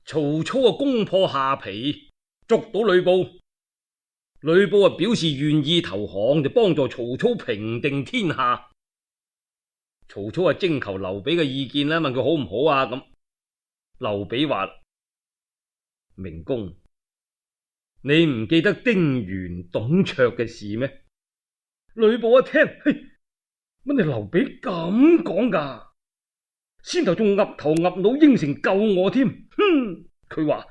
曹操攻破下邳，捉到呂布。呂布表示願意投降，就幫助曹操平定天下。曹操徵求劉備嘅意見啦，問佢好唔好啊？咁劉備話：明公，你唔記得丁原、董卓嘅事咩？呂布一聽，嘿，乜你劉備咁講噶？先頭仲岌頭岌腦應承救我添，哼！佢話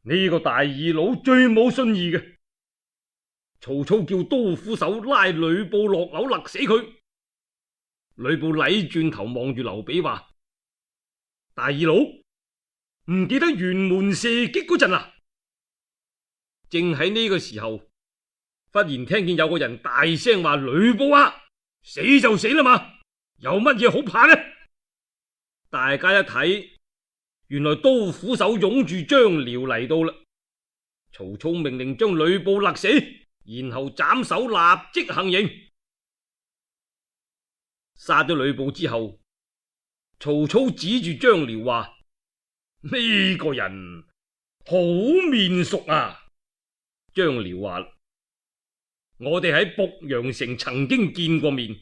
呢個大二佬最冇信義嘅。曹操叫刀斧手拉呂布落樓勒死佢。呂布禮轉頭望住劉備話：大二佬唔記得轅門射擊嗰陣啊！正喺呢個時候，忽然聽見有個人大聲話：呂布啊，死就死啦嘛，有乜嘢好怕呢？大家一睇，原來刀斧手擁住張遼嚟到啦。曹操命令將呂布勒死，然後斬首立即行刑。殺咗呂布之後，曹操指住張遼話：呢個人好面熟啊！張遼話：我哋喺濮陽城曾經見過面，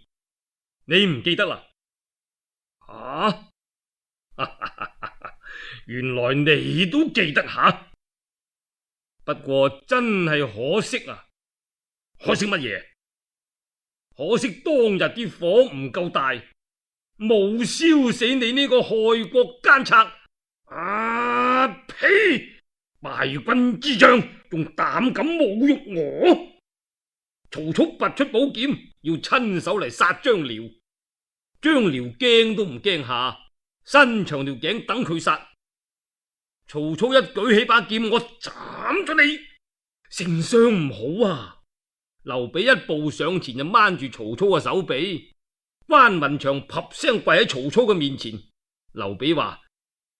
你唔記得啦？啊！原來你都記得吓，不過真係可惜啊！可惜乜嘢？可惜當日啲火唔夠大，冇燒死你呢個害國奸賊！啊呸！敗軍之將，仲膽敢侮辱我！曹操拔出寶劍，要親手嚟殺張遼。張遼驚都唔驚下，伸長條頸等佢殺。曹操一舉起把劍，我斬咗你！丞相唔好啊！劉備一步上前就掹住曹操嘅手臂，關雲長啪聲跪喺曹操嘅面前。劉備話：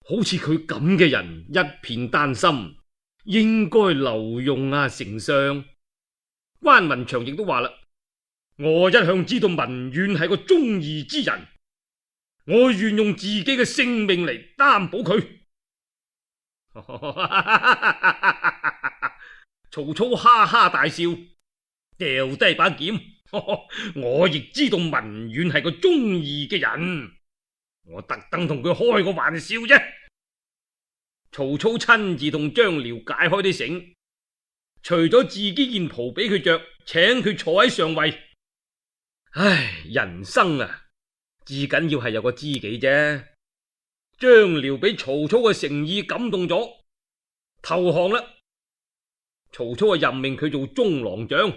好似佢咁嘅人，一片丹心，應該留用啊，丞相。關雲長亦都話啦：我一向知道文遠係個忠義之人，我願用自己嘅性命嚟擔保佢。曹操哈哈大笑，掉低把劍。我亦知道文遠係個忠義嘅人，我特登同佢開個玩笑啫。曹操親自同張遼解開啲繩，除咗自己件袍俾佢着，請佢坐喺上位。唉，人生啊，至緊要係有個知己啫。張遼俾曹操嘅誠意感動咗，投降啦。曹操任命佢做中郎將，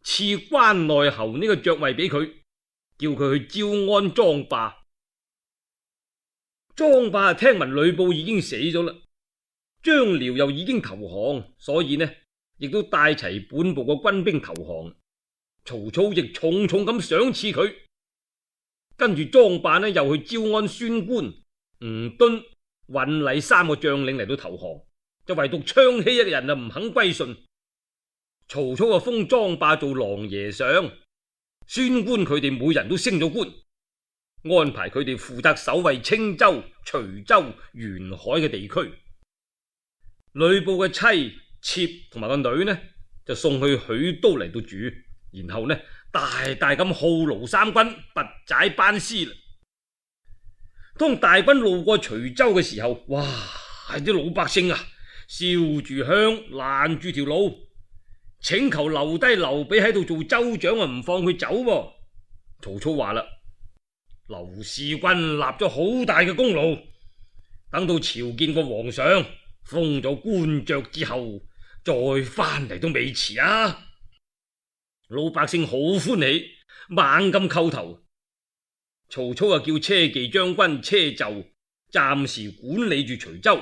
賜關內侯呢個爵位俾佢，叫佢去招安莊霸。莊霸聽聞呂布已經死咗啦，張遼又已經投降，所以呢亦都帶齊本部嘅軍兵投降。曹操亦重重咁賞賜佢，跟住莊霸呢又去招安孫觀、吳敦、尹禮三個將領嚟到投降，就唯獨昌熙一個人唔肯歸順。曹操就封莊霸做琅琊相，孫觀佢哋每人都升咗官，安排佢哋負責守衛青州、徐州、沿海嘅地區。呂布嘅妻妾同埋個女呢，就送去許都嚟到住，然後呢大大咁犒勞三軍，拔寨班師啦。當大軍路過徐州嘅時候，哇！啲老百姓啊，燒住香，攔住條路，請求留低劉備喺度做州長啊，唔放佢走喎。曹操話啦：劉使君立咗好大嘅功勞，等到朝見過皇上，封咗官爵之後，再翻嚟都未遲啊！老百姓好歡喜，猛咁叩頭。曹操叫車騎將軍車胄暫時管理住徐州。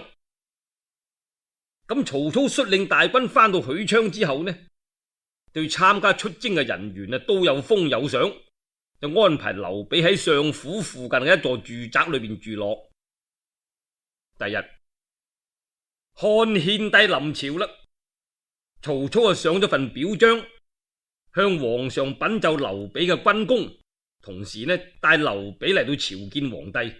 咁曹操率領大軍翻到許昌之後呢，對參加出征嘅人員啊都有封有賞，就安排劉備喺相府附近嘅一座住宅裏邊住落。第日漢獻帝臨朝啦，曹操上咗份表彰，向皇上稟奏劉備嘅軍功，同時呢帶劉備嚟到朝見皇帝。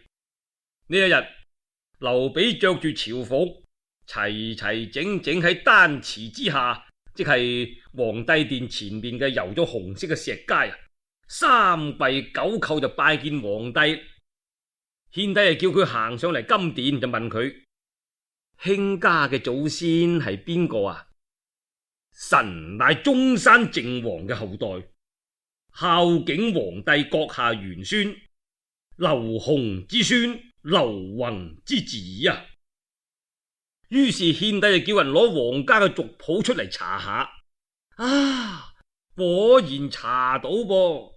呢一日，劉備着住朝服，齊齊整整喺丹池之下，即係皇帝殿前面嘅油咗紅色嘅石階啊，三跪九叩就拜見皇帝。獻帝就叫佢行上嚟金殿，就問佢：卿家嘅祖先係邊個啊？臣乃中山靖王嘅後代，孝景皇帝閣下玄孫，劉雄之孫，劉宏之子啊！於是獻帝就叫人攞皇家嘅族譜出嚟查下，啊，果然查到噃。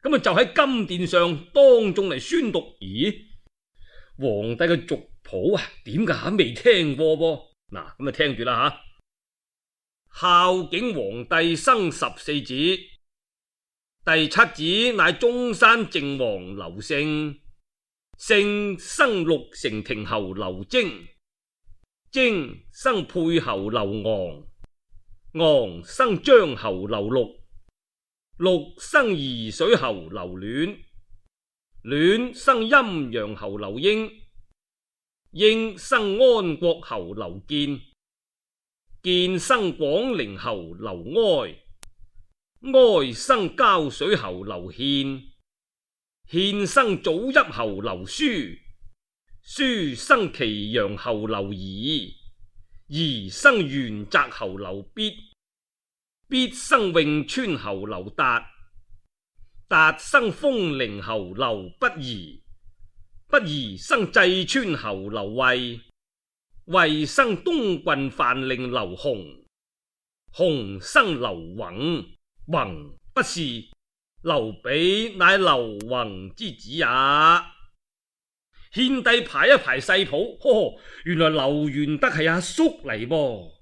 咁就喺金殿上當眾嚟宣讀。咦，皇帝嘅族譜啊，點解未聽過噃？嗱，咁就聽住啦吓。孝景皇帝生14子，第7子乃中山靖王劉勝，勝生陸承廷侯劉征，征生沛侯劉昂，昂生張侯劉祿，祿生沂水侯劉戀，戀生陰陽侯劉英，英生安國侯劉建，建生廣陵侯劉哀，哀生膠水侯劉獻，獻生祖邑侯劉書，書生祁陽侯劉儀，儀生元澤侯劉必，必生潁川侯劉達，達生豐陵侯劉不疑，不疑生濟川侯劉衛，衛生東郡范令劉弘，弘生劉宏，宏不是，劉備乃劉宏之子啊！獻帝排一排細譜，原來劉玄德係阿叔嚟噃。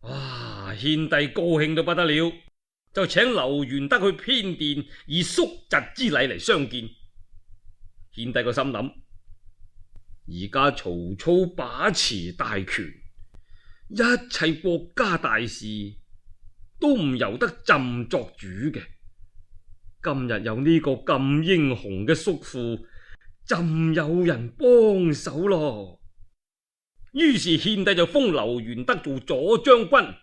哇！獻帝高興到不得了，就請劉玄德去偏殿以叔侄之禮嚟相見。獻帝個心諗，而家曹操把持大權，一切國家大事都唔由得朕作主嘅。今日有呢個咁英雄嘅叔父，朕有人幫手咯。於是獻帝就封劉玄德做左將軍、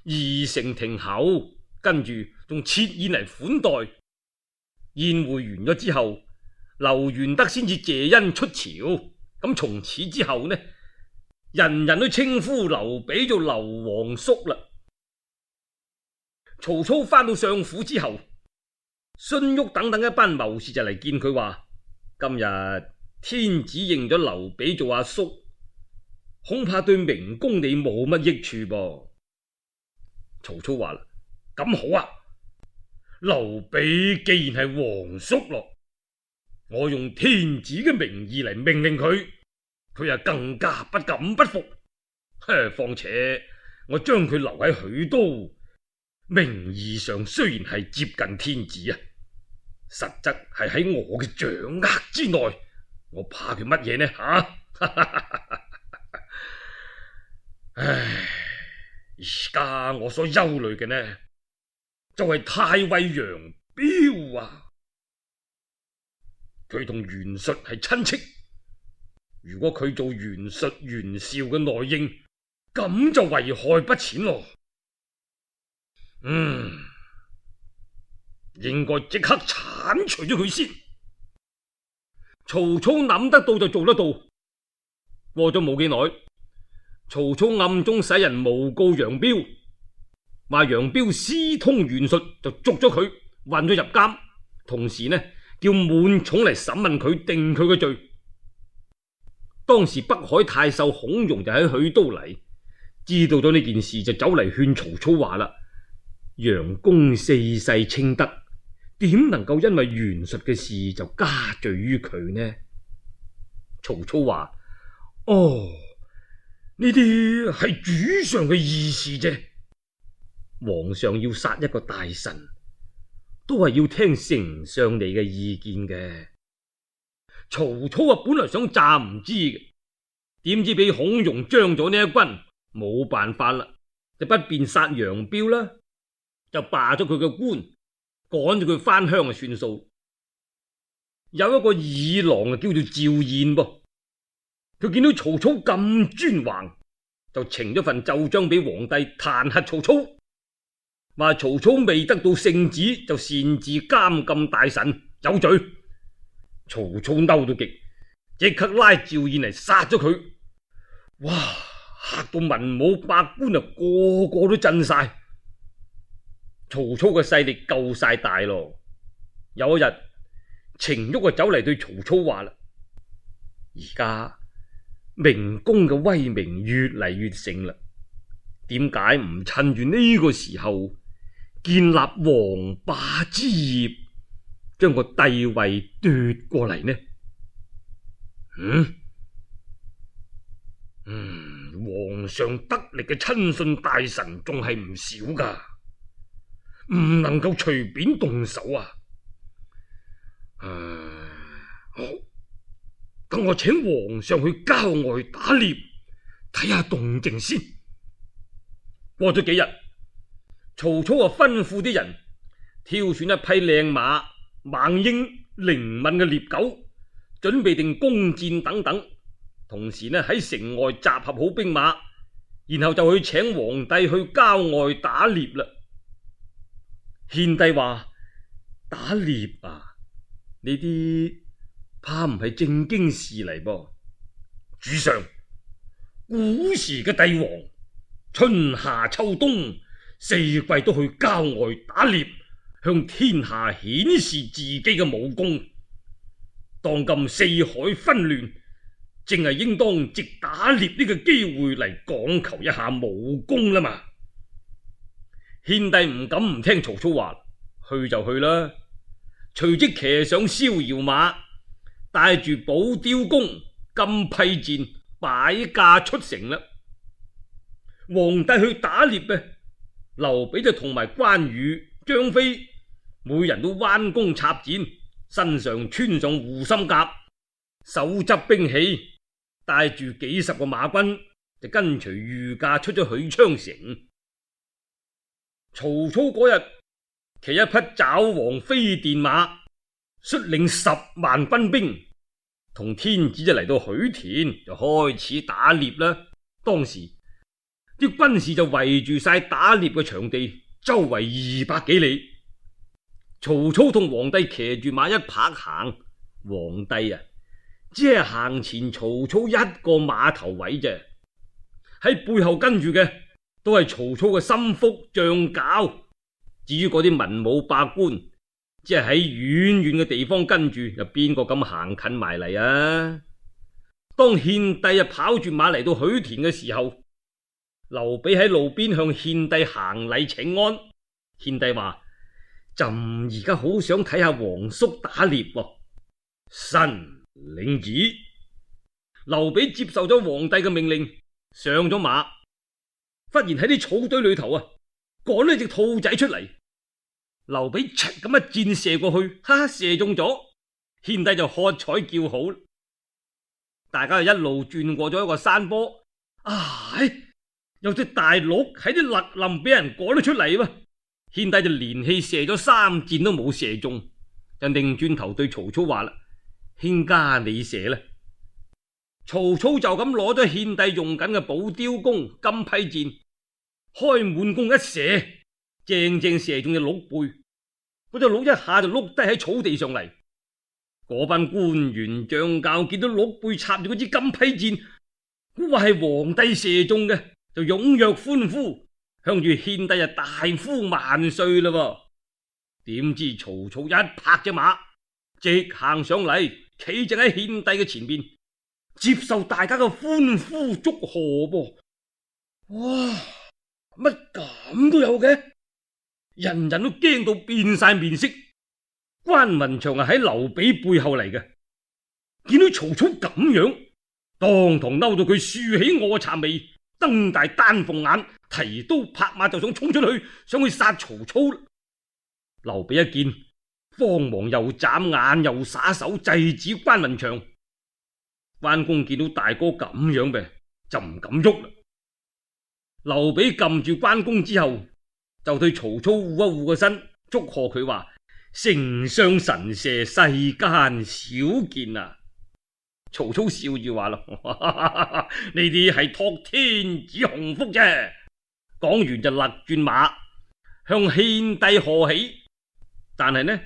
二城亭侯，跟住仲設宴嚟款待。宴會完咗之後，劉玄德先至謝恩出朝。咁從此之後呢，人人都稱呼劉備做劉皇叔啦。曹操翻到相府之後，荀彧等等一班謀士就嚟見佢話：今日天子認咗劉備做阿叔，恐怕對明公你冇乜益處噃。曹操話啦：咁好啊，劉備既然係皇叔咯，我用天子嘅名義嚟命令佢，佢啊更加不敢不服。況且我將佢留喺許都，名義上雖然係接近天子啊，實則係喺我嘅掌握之內，我怕佢乜嘢呢？唉，而家我所憂慮嘅呢，就係太尉楊彪啊，佢同袁術係親戚，如果佢做袁術袁紹嘅內應，咁就危害不淺咯。應該即刻鏟除咗佢先。曹操諗得到就做得到。過咗冇幾耐，曹操暗中使人誣告楊彪，話楊彪私通袁術，就捉咗佢，運咗入監，同時呢叫滿寵嚟審問佢，定佢嘅罪。當時北海太守孔融就喺許都嚟，知道咗呢件事，就走嚟勸曹操話啦：楊公四世清德，點能夠因為袁術嘅事就加罪於佢呢？曹操話：哦，呢啲係主上嘅意思啫。皇上要殺一個大臣，都係要聽丞相你嘅意見嘅。曹操啊，本來想詐唔知嘅，點知俾孔融將咗呢一軍，冇辦法啦，就不便殺楊彪啦，就罷咗佢嘅官，趕咗佢翻鄉就算數。有一個議郎啊，叫做趙彥噃，佢見到曹操咁專橫，就呈咗份奏章俾皇帝彈劾曹操，話曹操未得到聖旨就擅自監禁大臣，有罪。曹操嬲到極，即刻拉趙彥嚟殺咗佢。哇！嚇到文武百官啊，個個都震晒。曹操嘅勢力夠晒大咯。有一日，程昱就走嚟對曹操話啦：而家明公嘅威名越嚟越盛啦，點解唔趁住呢個時候建立王霸之業，將個帝位奪過嚟呢？皇上得力嘅親信大臣仲係唔少噶，唔能夠隨便動手啊！好，等我請皇上去郊外打獵，睇下動靜先。過咗幾日，曹操吩咐啲人挑選一匹靚馬、猛鷹、靈敏嘅獵狗，準備定弓箭等等。同時呢，喺城外集合好兵馬，然後就去請皇帝去郊外打獵啦。獻帝話：打獵啊，呢啲怕唔係正經事嚟噃。主上，古時嘅帝王，春夏秋冬四季都去郊外打獵，向天下顯示自己嘅武功。當今四海紛亂，正係應當藉打獵呢個機會嚟講求一下武功啦嘛。獻帝唔敢唔聽曹操話，去就去啦。隨即騎上逍遙馬，帶住寶雕弓、金披箭，擺駕出城啦。皇帝去打獵嘅，劉備就同埋關羽、張飛，每人都彎弓插箭，身上穿上護心甲，手執兵器，帶住幾十個馬軍，就跟隨御駕出咗許昌城。曹操嗰日騎一匹爪黃飛電馬，率領10萬軍兵，同天子就嚟到許田，就開始打獵啦。當時啲軍士就圍住晒打獵嘅場地，周圍200幾里。曹操同皇帝騎住馬一拍行，皇帝啊，只係行前曹操一個馬頭位啫，喺背後跟住嘅都係曹操嘅心腹將校。至於嗰啲文武百官，只係喺遠遠嘅地方跟住，又邊個敢行近埋嚟啊？當獻帝跑住馬嚟到許田嘅時候，劉備喺路邊向獻帝行禮請安。獻帝話：朕而家好想睇下皇叔打獵喎。臣領旨。劉備接受咗皇帝嘅命令，上咗馬，忽然喺啲草堆裏頭趕咗隻兔仔出嚟。劉備嚓咁一箭射過去，射中咗。獻帝就喝彩叫好。大家就一路轉過咗一個山坡，有隻大鹿喺啲勒林俾人趕咗出嚟。獻帝就連氣射咗3箭都冇射中，就擰轉頭對曹操話啦：卿家你射啦。曹操就咁攞咗獻帝用緊嘅寶雕弓、金披箭，開滿弓一射，正正射中隻鹿背。嗰隻鹿一下就碌低喺草地上嚟。嗰班官員將校見到鹿背插住嗰支金披箭，話係皇帝射中嘅，就踴躍歡呼，向住獻帝大呼萬歲啦。點知曹操一拍隻馬，直行上嚟，企正喺獻帝嘅前邊，接受大家嘅歡呼祝賀噃。哇！乜咁都有嘅？人人都驚到變晒面色。關雲長喺劉備背後嚟嘅，見到曹操咁樣，當堂嬲到佢豎起臥蠶眉，瞪大丹鳳眼，提刀拍馬就想衝出去，想去殺曹操。劉備一見，慌忙又眨眼又耍手制止關雲長。關公見到大哥咁樣嘅，就唔敢喐啦。劉備撳住關公之後，就對曹操護一護個身，祝賀佢話：丞相神射，世間少見啊！曹操笑住話啦：呢啲係託天子鴻福啫。講完就勒轉馬向獻帝賀喜，但係呢，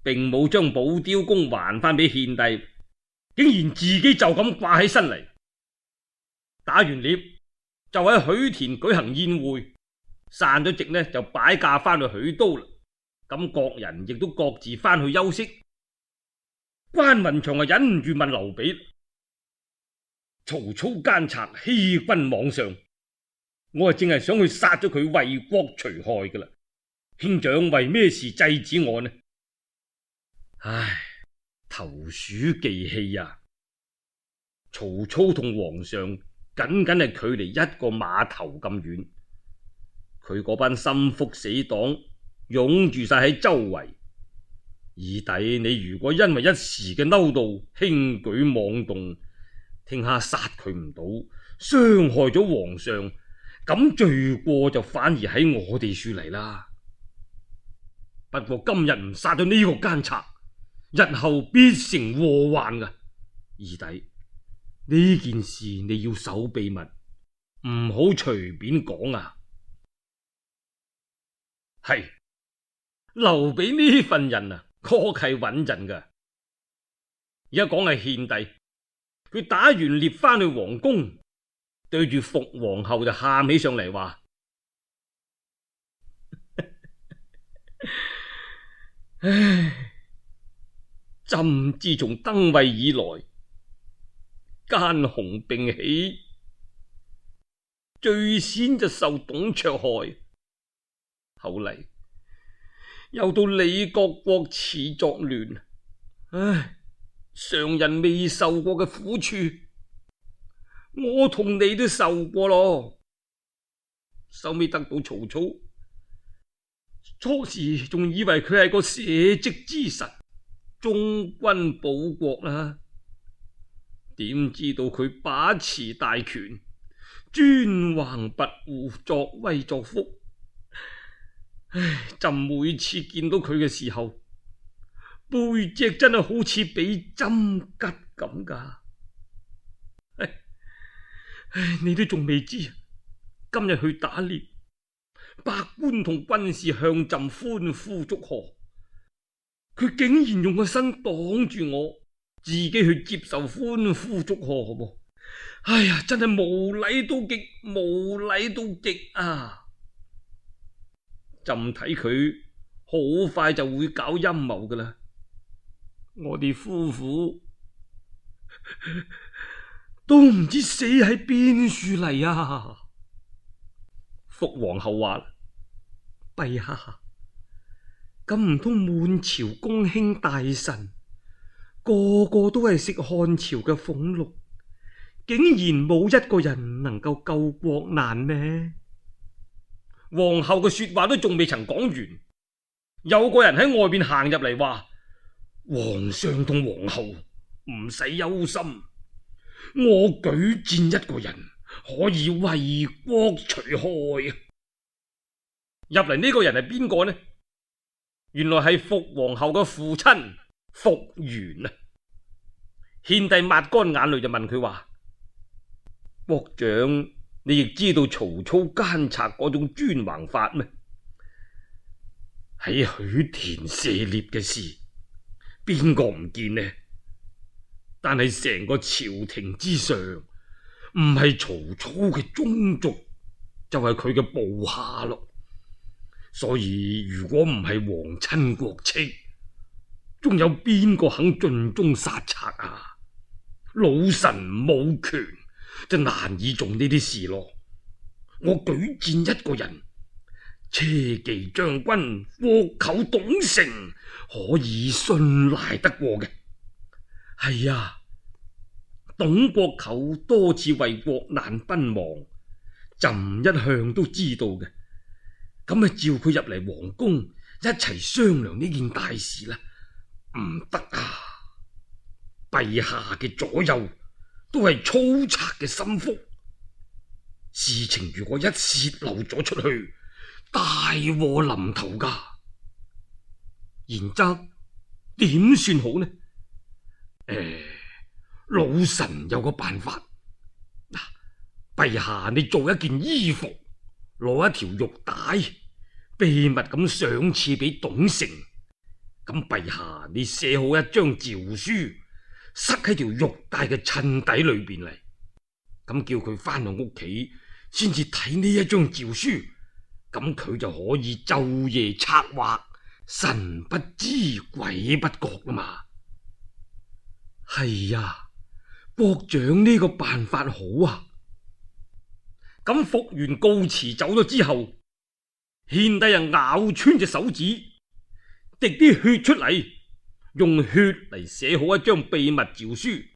並冇將寶雕弓還翻俾獻帝，竟然自己就咁掛起身嚟。打完獵就喺許田舉行宴會，散咗席呢就擺駕翻去許都啦。咁各人亦都各自翻去休息。關雲長啊忍唔住問劉備：曹操奸賊欺君罔上，我啊正係想去殺咗佢為國除害噶啦，兄長為咩事制止我呢？唉，投鼠忌器啊！曹操同皇上僅僅係距離一個碼頭咁遠，佢嗰班心腹死黨擁住晒喺周圍。二弟，你如果因為一時嘅嬲怒輕舉妄動，聽下殺佢唔到，傷害咗皇上，咁罪過就反而喺我哋處嚟啦。不過今日唔殺咗呢個奸賊，日後必成禍患噶。二弟，呢件事你要守秘密，唔好隨便講啊。係，劉備呢份人啊，確係穩陣噶。而家講係獻帝，佢打完獵翻去皇宮，對住伏皇后就喊起上嚟話：唉，朕自從登位以來，奸雄並起，最先就受董卓害，後嚟又到李國國始作亂，唉，常人未受過嘅苦處，我同你都受過咯。收尾得到曹操，初時仲以為佢係個社稷之神，忠君保國啦，點知道佢把持大權，專橫跋扈，作威作福。唉，朕每次見到佢嘅時候，背脊真係好似俾針拮咁噶。唉，你都仲未知，今日去打獵，百官同軍士向朕歡呼祝賀，佢竟然用個身擋住我，自己去接受歡呼祝賀噃。哎呀，真係無禮到極，無禮到極啊！朕睇佢好快就會搞陰謀噶啦，我哋夫婦都唔知死喺邊處嚟啊！伏皇后話：陛下，咁唔通滿朝公卿大臣個個都係食漢朝嘅俸祿，竟然冇一個人能夠救國難咩？皇后嘅說話都仲未曾講完，有個人喺外邊行入嚟話：皇上同皇后唔使憂心，我舉薦一個人可以為國除害啊！入嚟呢個人係邊個呢？原來係伏皇后嘅父親伏元啊！獻帝抹乾眼淚就問佢話：國長，你亦知道曹操奸賊嗰種專橫法咩？喺許田射獵嘅事，邊個唔見呢？但係成個朝廷之上，唔係曹操嘅宗族，就係佢嘅部下咯。所以如果唔係皇親國戚，仲有邊個肯盡忠殺賊啊？老臣冇權，就難以做呢啲事咯。我舉薦一個人，車騎將軍霍寇董承，可以信賴得過嘅。係啊，董國寇多次為國難奔亡，朕一向都知道嘅。咁啊，召佢入嚟皇宮一齊商量呢件大事啦。唔得啊！陛下嘅左右都係粗賊嘅心腹，事情如果一洩漏咗出去，大禍臨頭噶。然則點算好呢？老臣有個辦法。陛下你做一件衣服，攞一條玉帶，秘密咁賞賜俾董承。咁陛下你寫好一張詔書，塞喺條玉帶嘅襯底裏邊嚟，咁叫佢翻到屋企先至睇呢一張詔書，咁佢就可以晝夜策劃，神不知鬼不覺啦嘛。係呀，國長呢個辦法好啊。咁復原告辭走咗之後，獻帝又咬穿隻手指，滴啲血出嚟，用血嚟寫好一張秘密詔書，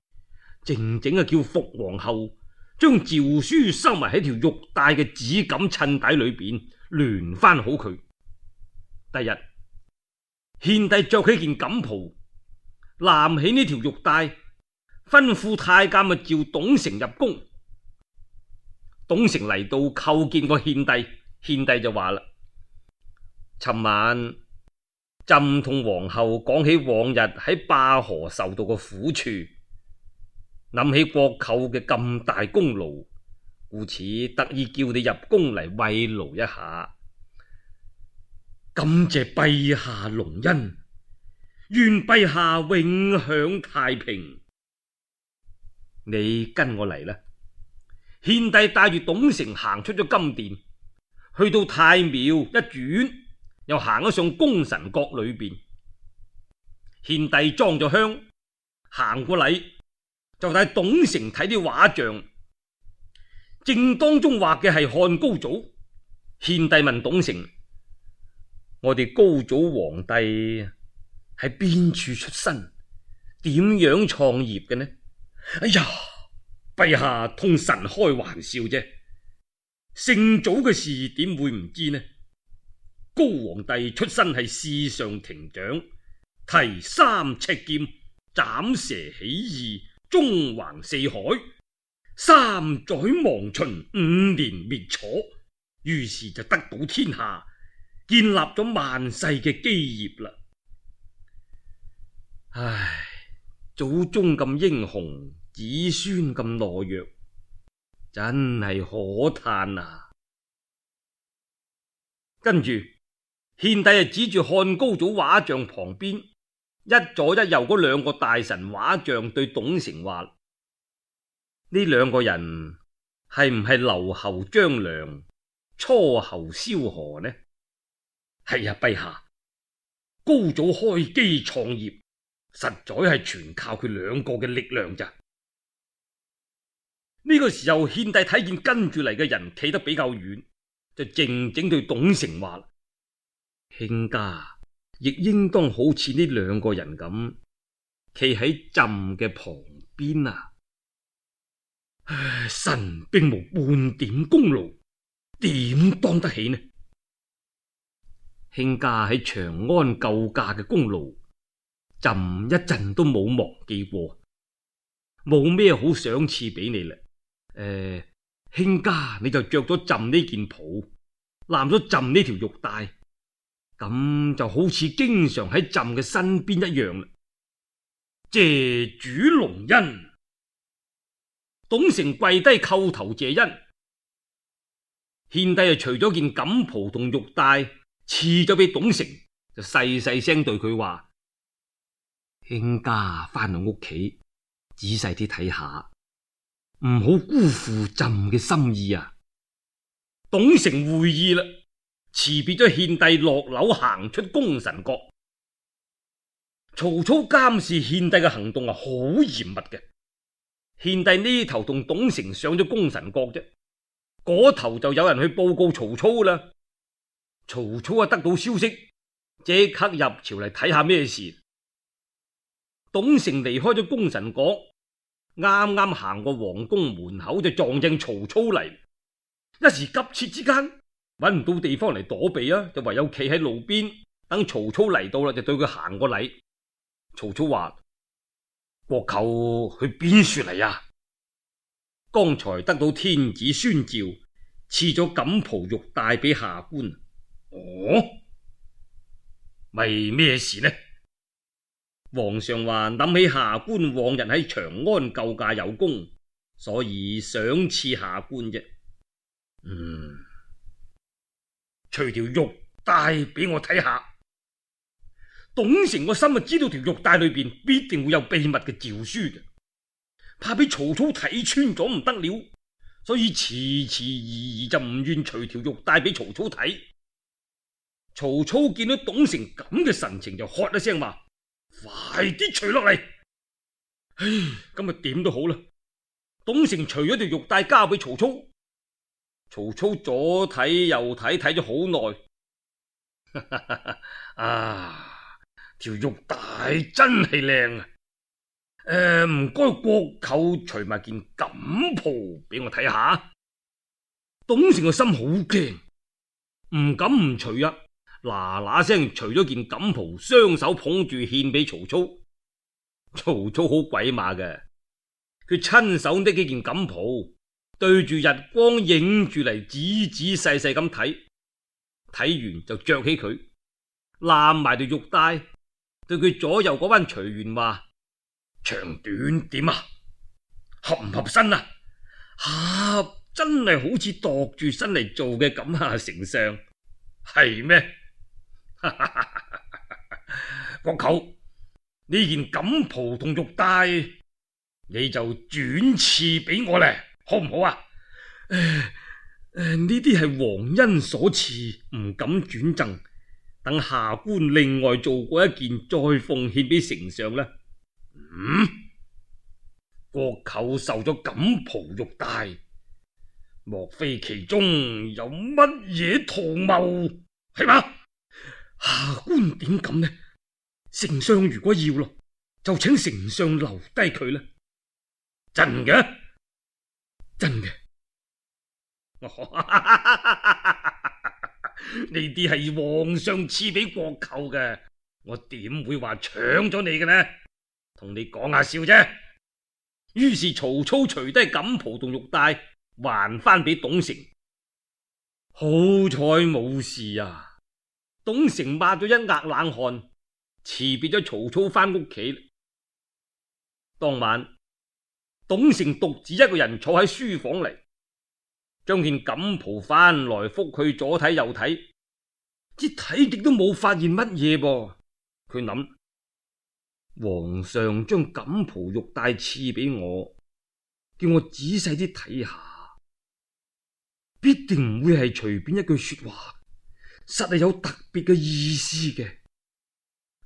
靜靜叫伏皇后將詔書收埋喺條玉帶嘅紫錦襯底裏邊，聯翻好佢。第日，獻帝着起件錦袍，攬起呢條玉帶，吩咐太監召董承入宮。董承嚟到叩見過獻帝，獻帝就話啦：尋晚朕同皇后講起往日喺灞河受到嘅苦處，諗起國舅嘅咁大功勞，故此特意叫你入宮嚟慰勞一下。感謝陛下隆恩，願陛下永享太平。你跟我嚟啦。獻帝帶住董承行出咗金殿，去到太廟一轉，又行咗上功臣閣裏邊。獻帝裝咗香，行過禮，就帶董承睇啲畫像。正當中畫嘅係漢高祖。獻帝問董承：我哋高祖皇帝喺邊處出身？點樣創業嘅呢？哎呀！陛下同臣開玩笑啫，聖祖嘅事點會唔知呢？高皇帝出身係侍上庭長，提3尺劍，斬蛇起義，縱橫四海，3載亡秦，5年滅楚，於是就得到天下，建立咗萬世嘅基業啦。唉，祖宗咁英雄，子孫咁懦弱，真係可嘆啊！跟住，獻帝就指住漢高祖畫像旁邊一左一右嗰2個大臣畫像，對董承話：呢2個人係唔係留侯張良、初侯蕭何呢？係呀，陛下，高祖開基創業，實在係全靠佢2個嘅力量咋。呢個時候，獻帝睇見跟住嚟嘅人企得比較遠，就靜靜對董承話：卿家亦應當好似呢2個人咁，企喺朕嘅旁邊啊！唉，臣並無半點功勞，點當得起呢？卿家喺長安救駕嘅功勞，朕一陣都冇忘記過，冇咩好賞賜俾你啦。卿家你就着咗朕呢件袍，攬咗朕呢條玉帶，咁就好似經常喺朕嘅身邊一樣啦。謝主隆恩。董承跪低叩頭謝恩，獻帝就除咗件錦袍同玉帶賜咗俾董承，就細細聲對佢話：卿家翻到屋企仔細啲睇下，唔好辜負朕嘅心意啊！董承會意啦，辭別咗獻帝，落樓行出功臣閣。曹操監視獻帝嘅行動係好嚴密嘅。獻帝呢頭同董承上咗功臣閣啫，嗰頭就有人去報告曹操啦。曹操得到消息，即刻入朝嚟睇下咩事。董承離開咗功臣閣，啱啱行過皇宮門口，就撞正曹操嚟。一時急切之間揾唔到地方嚟躲避啊，就唯有企喺路邊等曹操嚟到啦，就對佢行個禮。曹操話：國舅去邊處嚟啊？剛才得到天子宣召，賜咗錦袍玉帶俾下官。哦，為咩事呢？皇上話諗起下官往日喺長安救駕有功，所以賞賜下官啫。除條玉帶俾我睇下。董承個心就知道條玉帶裏邊必定會有秘密嘅詔書嘅，怕俾曹操睇穿咗唔得了，所以遲遲疑疑就唔願除條玉帶俾曹操睇。曹操見到董承咁嘅神情，就喝一聲話：快啲除落嚟！唉，咁啊點都好啦。董承除咗條玉帶交俾曹操，曹操左睇右睇，睇咗好耐。啊，條玉帶真係靚啊！唔該國舅除埋件錦袍俾我睇下。董承個心好驚，唔敢唔除啊！嗱嗱聲除咗件錦袍，雙手捧住獻俾曹操。曹操好鬼馬嘅，佢親手拎起件錦袍，對住日光影住嚟，仔仔細細咁睇，睇完就着起佢，攬埋條玉帶，對佢左右嗰班隨員話：長短點啊？合唔合身啊？合，真係好似度住身嚟做嘅咁啊！丞相係咩？國舅，呢件錦袍同玉帶，你就轉賜俾我咧，好唔好啊？呢啲係皇恩所賜，唔敢轉贈，等下官另外做過一件，再奉獻俾丞相啦。國舅受咗錦袍玉帶，莫非其中有乜嘢圖謀，係嘛？下官點敢呢？丞相如果要咯，就請丞相留低佢啦。真嘅？真嘅。呢啲係皇上賜俾國舅嘅，我點會話搶咗你嘅呢？同你講下笑啫。於是曹操除低錦袍同玉帶，還翻俾董承。好彩冇事啊！董承抹咗一額冷汗，辭別咗曹操翻屋企。當晚，董承獨自一個人坐喺書房嚟，將件錦袍翻來覆去左睇右睇，只睇極都冇發現乜嘢噃。佢諗，皇上將錦袍玉帶賜俾我，叫我仔細啲睇下，必定唔會係隨便一句說話，實係有特別嘅意思嘅。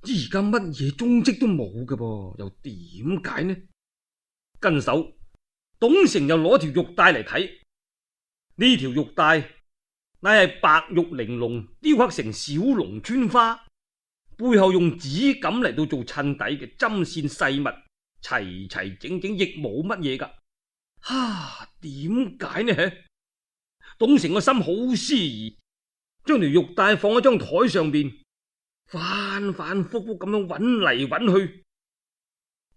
而家乜嘢蹤跡都冇嘅噃，又點解呢？跟手，董承又攞條玉帶嚟睇。呢條玉帶乃係白玉玲瓏雕刻成小龍穿花，背後用紫錦嚟到做襯底嘅針線細密，齊齊整整，亦冇乜嘢噶。點解呢？董承個心好思疑，將條玉帶放喺張台上邊，反反复复咁樣揾嚟揾去，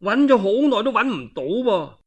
揾咗好耐都揾唔到噃。